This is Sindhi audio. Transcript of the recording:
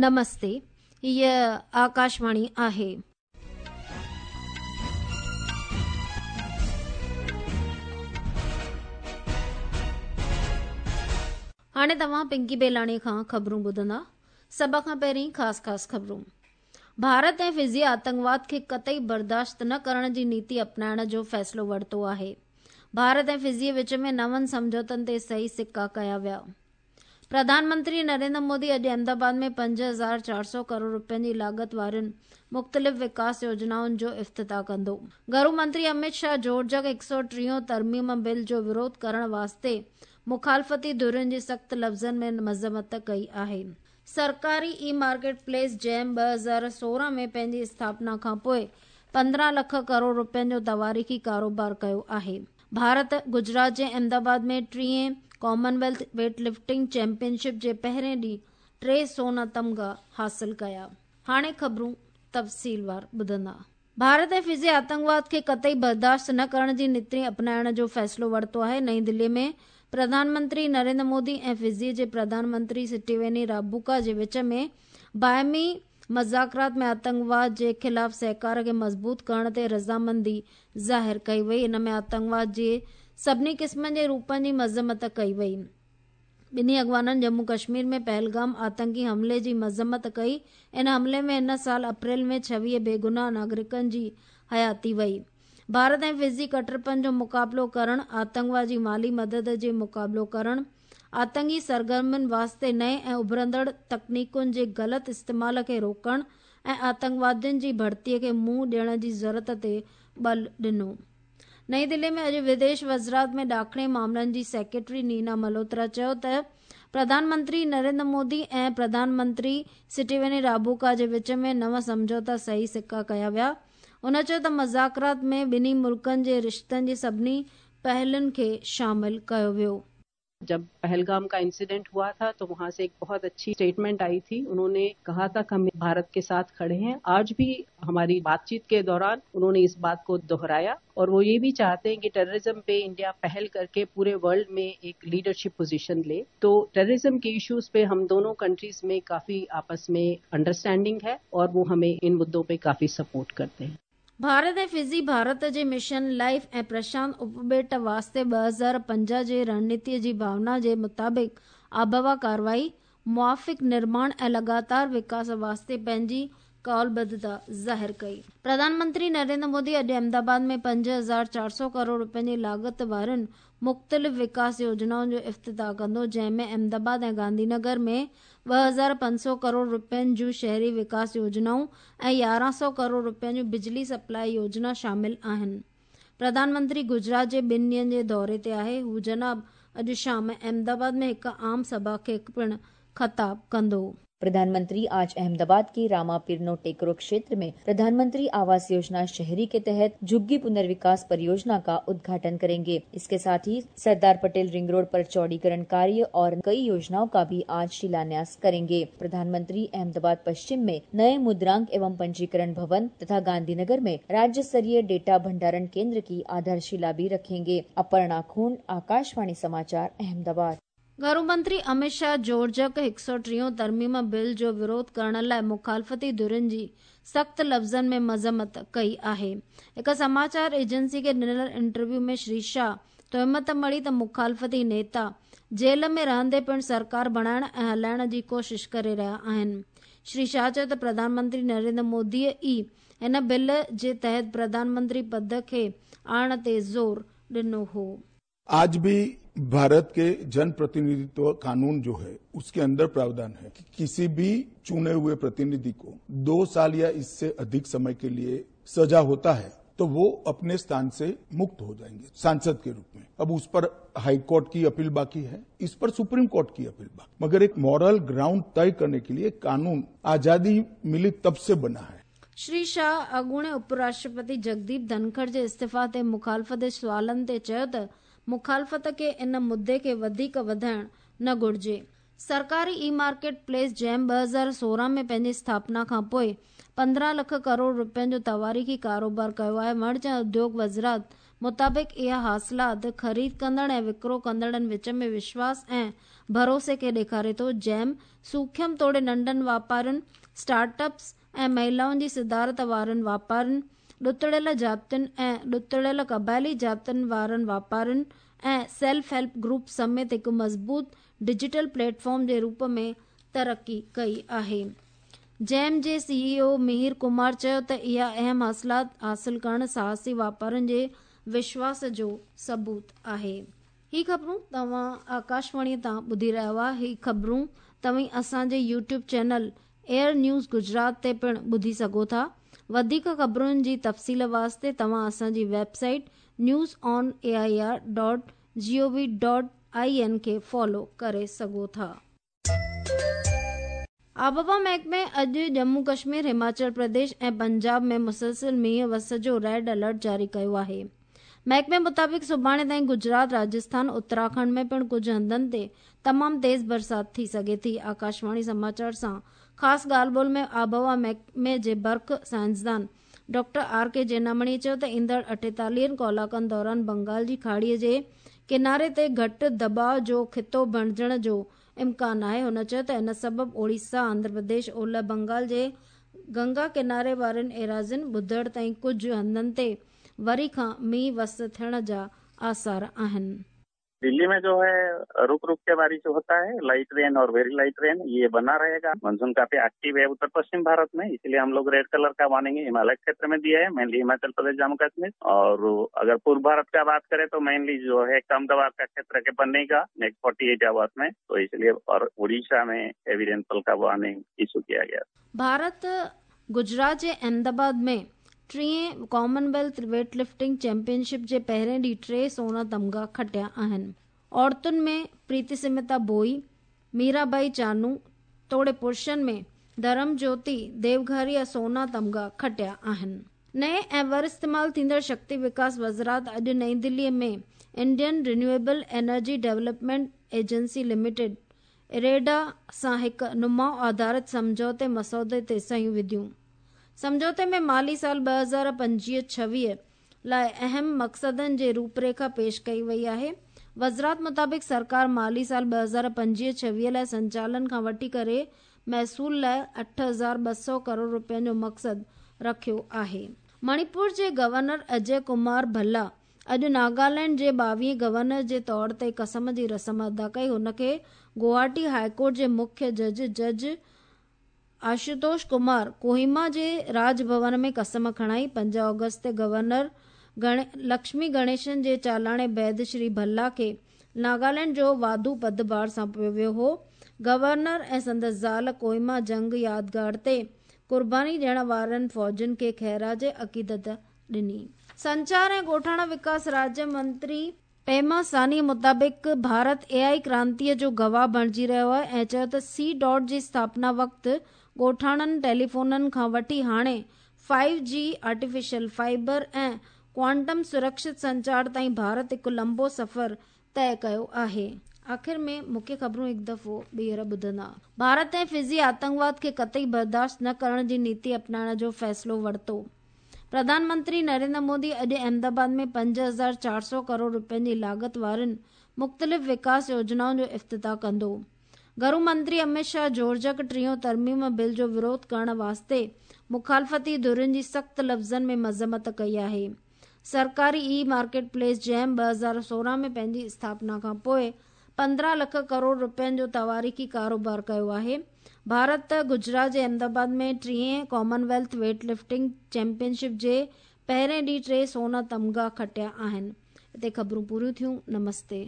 نمستي هيء آڪاشواڻي آهي. هاڻي توهان پنڪي بيلاڻي کان خبرون ٻڌندا. سڀ کان پهرين خاص خاص خبرون. ڀارت ۽ فزي آتنڪواد کي قطعي برداشت نه ڪرڻ جي نيتي اپنائڻ جو فيصلو ورتو آهي. ڀارت ۽ فزي وچ ۾ نون سمجهوتن تي صحيح سڪا ڪيا ويا. پرڌان منتري نريندر مودي اڄ احمدآباد ۾ 5400 ڪروڙ رپين جي لاڳت وارين مختلف وڪاس يوجنائن جو افتتاح ڪندو. گهرو منتري اميت شاهه جوڙجڪ هڪ سؤ ٽيهون ترميم بل جو وروڌ ڪرڻ واسطي مخالفتي ڌرين جي سخت لفظن ۾ مذمت ڪئي آهي. سرڪاري اي مارڪيٽ پليس جيم 2016 ۾ پنهنجي اسٿاپنا کانپوء 15 لک ڪروڙ رپين جو تواريخي ڪاروبار ڪيو آهي. ڀارت گجرات جي احمدآباد ۾ ٽئين commonwealth weightlifting champion ship جي پهرين ڏينهن ٽي سونا تمغا حاصل ڪيا. هاڻي خبرون تفصيلوار ٻڌندا. ڀارت ۽ فزي آتنڪواد کي قطعي برداشت نه ڪرڻ جي نيتي اپنائڻ جو فيصلو ورتو آهي. نئين دلي ۾ پرڌان منتري نريندر مودي ۽ فزي جي پرڌان منتري سٽيويني رابوڪا جي وچ ۾ باهمي مذاڪرات ۾ آتنڪواد جي خلاف سهڪار کي مضبوط ڪرڻ تي رضامندي ظاهر ڪئي وئي. ان ۾ آتنڪواد جي سڀني قسمن جي روپن جي مذمت ڪئي وئي. ٻنهي اڳواڻن ڄمون ڪشمير ۾ پهلگام آتنڪي حملي جي مذمت ڪئي. ان حملي ۾ هن سال اپريل ۾ 26 بيگناهه ناگرڪن جي حياتي وئي. ڀارت ۽ فزي ڪٽرپن جو مقابلو ڪرڻ، آتنڪواد جي مالي مدد جي مقابلو ڪرڻ، آتنڪي سرگرمين واسطي نئين ۽ اڀرندڙ تڪنيڪن جي غلط استعمال کي روڪڻ ۽ آتنڪوادين جي ڀرتي کي منهن ڏيڻ جي ضرورت تي ٻل ڏنو. نئين دلي ۾ اڄ وديش وزارت ۾ ڏاکڻي معاملن جي سيڪريٽري نينا ملهوترا چيو ته پرڌان منتري نريندر مودي ۽ پرڌان منتري سٽيويني رابوڪا جي وچ ۾ نو سمجهوتا صحيح سڪا ڪيا ويا. هن چيو ته مذاڪرات ۾ ٻنهي ملڪن جي رشتن جي سڀني پهلن کي شامل ڪيو ويو. جب پهلگام کا انسيڊنٽ هوا ٿا تو وهان سي ايڪ بهت اڇي اسٽيٽمينٽ آئي ٿي انهون ني ڪها ٿا ڪه هم ڀارت ڪي ساٿ کڙي هين آج ڀي هماري بات چيت ڪي دوران انهون ني اس بات ڪو دهرايا اور وو يي ڀي چاهتي هين ڪه ٽيررزم پي انڊيا پهل ڪر ڪي پوري ورلڊ مين ايڪ ليڊرشپ پوزيشن لي تو ٽيررزم ڪي اشوز پي هم دونون ڪنٽريز مين ڪافي آپس مين انڊراسٽينڊنگ هي اور وو همين ان مدعون پي ڪافي سپورٽ ڪرتي هين. ڀارت ۽ فزي ڀارت جي مشن لائيف ۽ پرشانت اپٻيٽ واسطي 2050 جي رڻنيتي جي ڀاونا جي مطابق آبهوا ڪارروائي، موافق نرماڻ ۽ لڳاتار وڪاس واسطي پنهنجي قولبڌتا ظاهر ڪئي. پرڌان منتري نريندر مودي اڄ احمدآباد ۾ 5400 ڪروڙ رپين جي لاڳت وارين مختلف وڪاس يوجنائن جو افتتاح ڪندو، جنهن ۾ احمدآباد ۽ گانڌي نگر ۾ 2500 ڪروڙ رپين جون شهري وڪاس يوجنائون ۽ 1100 ڪروڙ رپين جون بجلي سپلائي يوجنا شامل آهن. پرڌان منتري گجرات جي ٻن ڏينهن جي دوري تي آهي. هو جناب اڄ شام احمدآباد ۾ هڪ عام سڀا کي پڻ خطاب ڪندو. प्रधानमंत्री आज अहमदाबाद के रामापीरनो टेकरो क्षेत्र में प्रधानमंत्री आवास योजना शहरी के तहत झुग्गी पुनर्विकास परियोजना का उद्घाटन करेंगे। इसके साथ ही सरदार पटेल रिंग रोड पर चौड़ीकरण कार्य और कई योजनाओं का भी आज शिलान्यास करेंगे। प्रधानमंत्री अहमदाबाद पश्चिम में नए मुद्रांक एवं पंजीकरण भवन तथा गांधीनगर में राज्य स्तरीय डेटा भंडारण केंद्र की आधारशिला भी रखेंगे। अपर्णा खून, आकाशवाणी समाचार, अहमदाबाद। گهرو منتري اميت شاهه جوڙجڪ هڪ سؤ ٽيهون ترميم بل جو وروڌ ڪرڻ لاء مخالفتي ڌرين جي سخت لفظن ۾ مذمت ڪئي آهي. هڪ سماچار ايجنسي کي ڏنل انٽرويو ۾ شري شاهه تهمت مڙهي ته مخالفتي نيتا جيل ۾ رهندي پڻ سرڪار بڻائڻ ۽ هلائڻ جي ڪوشش ڪري رهيا آهن. شري شاهه چيو ته پرڌان منتري نريندر مودي ئي هن بل جي تحت پرڌان منتري پد کي آڻڻ تي زور ڏنو هو. आज भी भारत के जनप्रतिनिधित्व कानून जो है उसके अंदर प्रावधान है कि किसी भी चुने हुए प्रतिनिधि को 2 साल या इससे अधिक समय के लिए सजा होता है तो वो अपने स्थान से मुक्त हो जाएंगे सांसद के रूप में। अब उस पर हाई कोर्ट की अपील बाकी है, इस पर सुप्रीम कोर्ट की अपील बाकी, मगर एक मॉरल ग्राउंड तय करने के लिए कानून आजादी मिली तब से बना है। श्री शाह अॻूणे उपराष्ट्रपति जगदीप धनखड़ जे इस्तीफ़ा ते मुखालफ़त जे सवालनि ते चयो त मुखालफ़त खे इन मुद्दे खे वधीक वधाइण न घुर्जे। सरकारी اي مارڪيٽ پليس جيم 2016 ۾ پنهنجي اسٿاپنا کان پوءِ 15 لک ڪروڙ رپين جو تواريخي ڪاروبار ڪيو آهي. وڻج ۽ اديوگ وزارت مطابق اها حاصلات خريد ڪندڙ ۽ وڪرو ڪندڙن وچ ۾ وشواس ۽ ڀروسي کي ڏيکاري ٿو. جيم سوکيم توڙي ننڍن واپارين، اسٽارٽ اپس ۽ مهلائن جي صدارت وارن واپارين، ڏتڙيل جاتين ۽ ڏتڙيل قبائلي جاتين وارن واپارين ۽ سيلف هيلپ گروپس سميت هڪ مضبوط ڊجيٽل پليٽ فارم جي روپ ۾ ترقي ڪئي آهي. جيم جي سي اي او مهير ڪمار چيو ته اها اهم حاصلات حاصل ڪرڻ ساهسي واپارين جي وشواس جو ثبوت آهي. هي خبرون توهان آڪاشواڻي تان ٻڌي رهيا هئا. هي خبرون توهين اسان جي YouTube channel AIR news Gujarat تي پڻ ٻڌي سگهو ٿا. وڌيڪ خبرن جي تفصيل واسطي توهان اسان جي website news on A I R dot G O V dot I N کي فالو ڪري سگهو ٿا. آبهوا محڪمي اڄ ڄمون ڪشمير، هماچل پرديش ۽ پنجاب ۾ مسلسل مينهن وس جو ريڊ الرٽ جاري ڪيو آهي. محڪمي مطابق سڀاڻي تائين گجرات، راجسٿان، اتراکنڊ ۾ پڻ ڪجهه هنڌن تي تمام تيز برسات ٿي سگهي ٿي. آڪاشواڻي سماچار سان خاص ڳالهه ٻولهه ۾ آبهوا محڪمي جي برک سائنسدان ڊاڪٽر آر ڪي جينامڻي چيو ته ايندڙ 48 ڪلاڪن دوران بنگال جي کاڙي جي ڪناري تي گهٽ دٻاء جو خطو بڻجڻ جو امڪان آهي. هن چيو ته ان سبب اوڙيسا، آنڌرا پرديش، اولهه بنگال جي گنگا ڪناري وارين ايراضين ٻڌر تائين ڪجهه هنڌن تي وري کان مينهن وس ٿيڻ جا آثار آهن. दिल्ली में जो है रुक रुक के बारिश होता है, लाइट रेन और वेरी लाइट रेन ये बना रहेगा। मानसून काफी एक्टिव है उत्तर पश्चिम भारत में, इसलिए हम लोग रेड कलर का वार्निंग हिमालय क्षेत्र में दिया है, मेनली हिमाचल प्रदेश, जम्मू कश्मीर। और अगर पूर्व भारत का बात करें तो मेनली जो है कम दबाव का क्षेत्र के बनने का नेक्स्ट 48 आवर्स में, तो इसलिए और उड़ीसा में हेवी रेनफॉल का वार्निंग इशू किया गया। भारत गुजरात जे अहमदाबाद में टीहें कॉमनवेल्थ वेट लिफ्टिंग चैंपियनशिप जे पहिरें ॾींहुं 3 सोना तमगा खटिया आहिनि। औरतुनि में प्रीति सिमिता बोई, मीराबाई चानू तोड़े पुरुषनि में धर्म ज्योति देवघरिया सोना तमगा खटिया आहिनि। नए ऐं वर इस्तेमाल थींदड़ शक्ति विकास वज़ारत अॼु नई दिल्लीअ में Indian renewable energy development agency limited IREDA सां हिकु नुमाउ आधारित सम्झौते मसौदे ते सहियूं विधियूं। सम्झौते में माली साल 2025-26 लाइ अहम मक़सदनि जी रूपरेखा पेश कई वई आहे। वज़ारत मुताबिक़ सरकार माली साल 2025-26 लाइ संचालन खां वठी करे महसूल लाइ 8200 करोड़ रुपयनि जो मक़सदु रखियो आहे। मणिपुर जे गवर्नर अजय कुमार भल्ला अॼु नागालैंड जे 22 गवर्नर जे तौर ते कसम जी रस्म अदा कई। हुनखे गुवाहाटी हाईकोर्ट जे मुख्य जज जज आशुतोष कुमार कोहिमा जे राज भवन में कसम खणाई। 5 अगस्त ते गवर्नर लक्ष्मी गणेशन जे चालाणे बाद श्री भल्ला खे नागालैंड जो वाधू पदभार सौंपियो वियो हो। गवर्नर ऐं संदसि ज़ाल कोहिमा जंग यादगार ते क़ुर्बानी ॾियण वारनि फ़ौजियुनि खे ख़ैराज अक़ीदत ॾिनी। संचार ऐं ॻोठाणा विकास राज्य मंत्री पेमा सानी मुताबिक़ भारत एआई क्रांतीअ जो गवाह बणिजी रहियो आहे ऐं चयो त सी डॉट जी स्थापना वक़्तु ॻोठाणनि टेलीफोननि खां वठी हाणे 5G, artificial fibre ऐं क्वांटम सुरक्षित संचार ताईं भारत हिकु लंबो सफ़र तय कयो आहे। आख़िर में मुख्य ख़बरूं हिकु दफ़ो ॿीहर ॿुधंदा। भारत ऐं फिजी आतंकवाद खे कतई बर्दाश्त न करण जी नीति अपनाइण जो फ़ैसिलो वरितो। प्रधानमंत्री नरेंद्र मोदी अॼु अहमदाबाद में 5400 करोड़ रुपयनि जी लागत वारनि मुख़्तलिफ़ विकास योजनाउनि जो इफ़्तिताह कंदो। घरू मंत्री अमित शाह जोड़जक टीहों तरमीम बिल जो विरोध करण वास्ते मुखालफ़ती धुरियुनि जी सख़्तु लफ़्ज़नि में मज़म्मत कई आहे। सरकारी ई मार्केट प्लेस जैम 2016 में पंहिंजी स्थापना खां पोइ 15 लख करोड़ रुपयनि जो तवारीख़ी कारोबार कयो आहे। भारत गुजरात जे अहमदाबाद में टीहें कॉमनवेल्थ वेट लिफ्टिंग चैंपियनशिप जे पहिरें ॾींहुं 3 सोना तमगा खटिया आहिनि। हिते ख़बरूं पूरियूं थियूं। नमस्ते।